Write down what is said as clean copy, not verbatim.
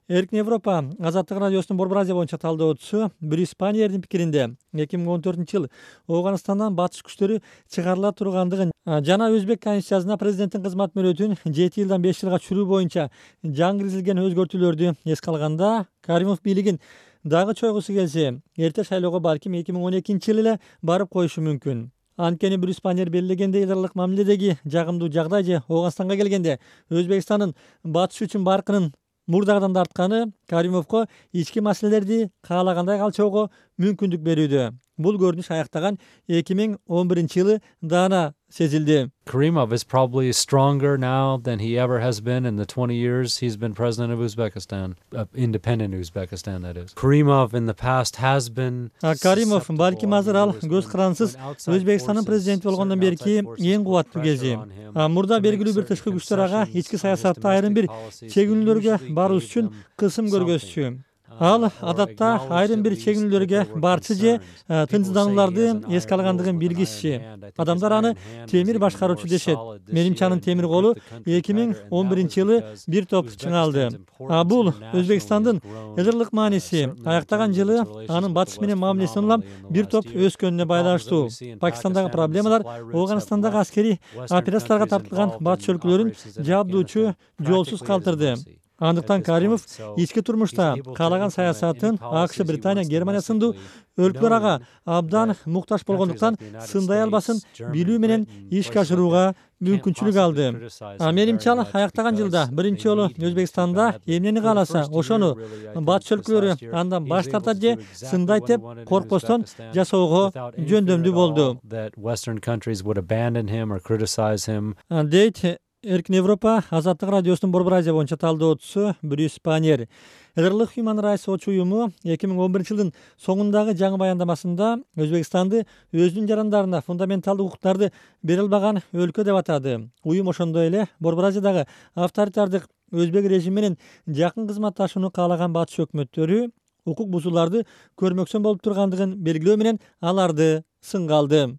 Эркин Европа Азаттык радиосунун Борбор Азия боюнча талдоочусу Брюс Паньердин пикиринде 2014-жылы Ооганстандан батыш күчтөрү чыгарыла тургандыгын жана Өзбек Конституциясына президенттин кызмат мөөнөтүн 7 жылдан 5 жылга чуруу боюнча жаңы киргизилген өзгөртүүлөрдү эске алганда, Каримов бийлигин дагы чойгусу келсе, эрте шайлоого балким 2012-жылы эле барып коюшу мүмкүн. Анткени Брюс Паньер белгилегендей, элдарлык мамиледеги жагымдуу жагдай же Ооганстанга келгенде Өзбекстандын батыш үчүн баркынын мурдагыдан да артканы Каримовго ички маселелерди каалагандай калчоого мүмкүндүк берүүдө. Бул көрүнүш аяктаган 2011-жылы даана сезилди. Karimov is probably stronger now than he ever has been in the 20 years he's been president of Uzbekistan, independent Uzbekistan, that is. Karimov in the past has been... Каримов балким азыр ал көз карансыз Өзбекстандын президенти болгондон берки эң кубаттуу кези. Мурда белгилүү бир тышкы күчтөр ага ички саясатта айрым бир чегинүүлөргө баруу үчүн кысым көргөзчү. Ал адатта айрым бир чегинүүлөргө барчы же тынчсызданууларды эске алгандыгын билгичи. Адамдар аны темир башкаруучу дешет. Менимче анын темир колу 2011-жылы бир топ чыңалды. Бул Өзбекстандын элдерлык мааниси аяктаган жылы анын батыш менен мамилесинин улам бир топ өскөнүнө байланыштуу. Пакистандагы проблемалар Ооганстандагы аскерий операцияларга тартылган батыш өлкөлөрүн жабдуучу жолсуз калтырды. Андыктан Каримов ички турмушта каалаган саясатын АКШ, Британия, Германия сындуу өлкөлөр ага абдан муктаж болгондуктан сындай албасын билүү менен ишке ашырууга мүмкүнчүлүк алды. Менимче ал аяктаган жылда биринчи жолу Өзбекстанда эмнени кааласа ошону батыш өлкөлөрү андан баш тартат же сындайт деп коркпостон жасоого жөндөмдүү болду. Дейт Эркин Европа Азаттык радиосунун Борбор Азия боюнча талдоочусу Брюс Паньер. Элдерлык Human Rights Watch уюму 2011-жылдын соңундагы жаңы баяндамасында Өзбекстанды өзүнүн жарандарына фундаменталдык укуктарды бере албаган өлкө деп атады. Уюм ошондой эле Борбор Азиядагы авторитардык өзбек режими менен жакын кызматташууну каалаган батыш өкмөттөрү укук бузууларды көрмөксөн болуп тургандыгын белгилөө менен аларды сынга алды.